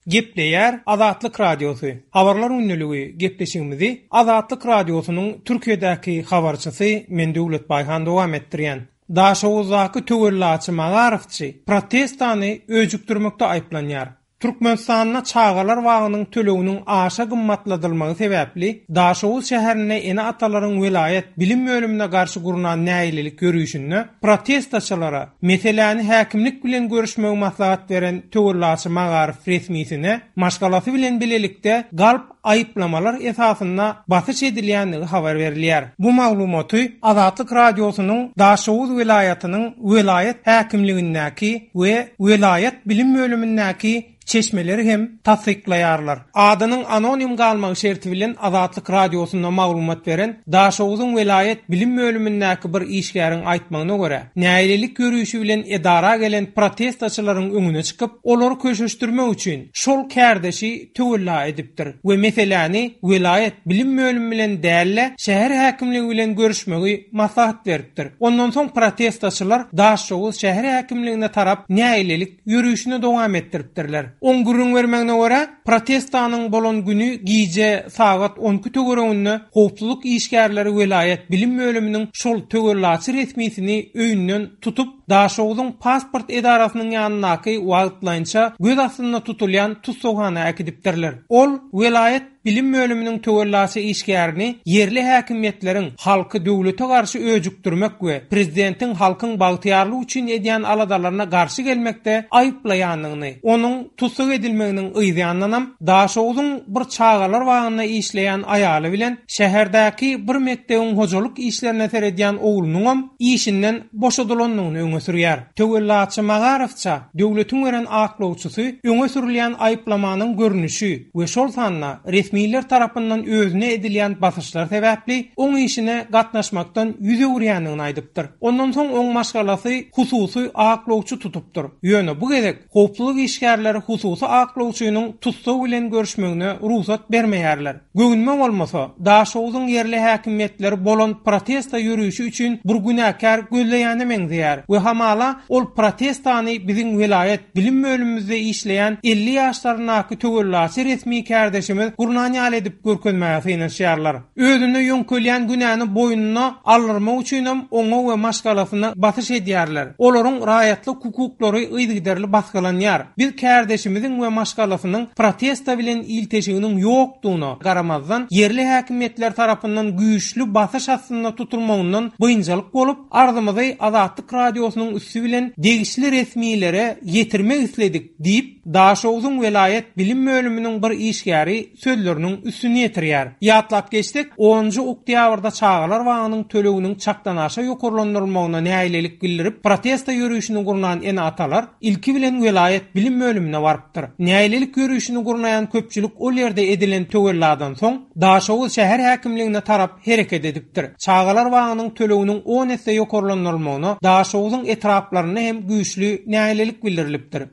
Gepleýär Azatlyk Radiosy, Habarlar gündeligi gepleşigimizi Azatlyk Radiosynyň Türkiýedäki habarçysy men Döwlet Baýhan dowam etdirýän. Daşoguzdaky töwellaçy magarifçi protestany öjükdirmekde aýyplanýar. Türkmenistanda çagalar bagynyň töleginiň aşa gymmatladylmagy sebäpli, Daşoguz şäherinde ene-atalaryň welaýat bilim bölümine garşy gurnan nägilelik ýörişinde protestaçylara meseläni häkimlik bilen görüşmegi maslahat beren töwellaçy magaryf resmisine maşgalasy bilen bilelikde galp aýyplamalar esasynda basyş edilýändigi habar berilýär. Bu maglumaty Azatlyk Radiosynyň Daşoguz welaýatynyň welaýat häkimligindäki we welaýat bilim bölümindäki çeşmeleri hem tassyklaýarlar. Adynyň anonim galmagy şerti bilen Azatlyk Radiosynda maglumat beren Daşoguzyň welaýat bilim bölümindäki bir işgäriň aýtmagyna görä, nägilelik ýörişi bilen edara gelen protestaçylaryň öňüne çykyp, olary köşeşdirmek üçin şol kärdeşi töwella edipdir we meseläni welaýat bilim bölümi bilen däl-de, şäher häkimligi bilen görüşmegi maslahat beripdir. Ondan soň protestaçylar Daşoguz şäher häkimligine tarap nägilelik ýörişini dowam etdiripdirler. Oň gürrüň bermegine görä, protestanyň bolan güni gije sagat 12 töwereginde howpsuzlyk işgärleri welaýat bilim bölüminiň şol töwellaçy resmisini öýünden tutup, Daşoguzyň pasport edarasynyň ýanyndaky wagtlaýynça göz astynda tutulýan tussaghana äkidipdirler. Ol welaýat bilim bölüminiň töwellaçy işgärini ýerli häkimiýetleriň halky döwlete garşy öjükdirmek we prezidentiň halkyň bagtyýarlygy üçin edýän aladalaryna garşy gelmekde aýyplaýandygyny, onuň tussag edilmeginiň yzýanynam Daşoguzyň bir çagalar bagynda işleýän aýaly bilen şäherdäki bir mekdebiň hojalyk işlerine seredýän oglunyňam işinden boşadylandygyny öňe sürýär. Töwellaçy Magarowça döwletiň beren aklawçysy öňe sürülýän aýyplamanyň görnüşi we şol sanda resmiler tarapyndan özüne edilýän basyşlar sebäpli oň işine gatnaşmakdan ýüz öwürýändigini aýdypdyr. Ondan soň oň maşgalasy hususy aklawçy tutupdyr. Ýöne bu gezek howpsuzlyk işgärleri hususy aklawçynyň tussag bilen görüşmegine rugsat bermeýärler. Göwnüme bolmasa, Daşoguzyň ýerli häkimiýetleri bolan protesta ýörişi üçin bir günäkär gözleýäne meňzeýär we hamala ol protestany biziň welaýat bilim bölümimizde işleýän 50 ýaşlaryndaky töwellaçy resmi kärdeşimiz gurnan ýaly edip görkezmäge synanyşýarlar. Özüne ýöňkelýän günäni boýnuna aldyrmak üçinem oňa we maşgalasyna basyş edýärler. Olaryň raýatlyk hukuklary yzygiderli basgylanýar. Biz kärdeşimiziň we maşgalasynyň protesta bilen ilteşiginiň ýokdugyna garamazdan, ýerli häkimiýetler tarapyndan güýçli basyş astynda tutulmagyndan biynjalyk bolup, arzymyzy Azatlyk Radiosynyň üsti bilen degişli resmilere ýetirmek isledik diýip, Daşogzuň welaýat bilim bölüminiň bir işgäri sözleriniň üstüni ýetirýär. Ýatlap geçsek, onunjy oktýabrda çagalar bagynyň töleginiň çakdanaşa ýokarlandyrylmagyna nägilelik bildirip, protesta ýörişini gurnan ene-atalar ilki bilen welaýat bilim bölümine barypdyr. Nägilelik ýörişini gurnaýan köpçülik ol ýerde edilen töwelladan soň, Daşoguz şäher häkimligine tarap hereket edipdir. Çagalar bagynyň töleginiň on esse ýokarlandyrylmagyna Daşoguzyň etraplarynda hem güýçli nägilelik bildirilipdir.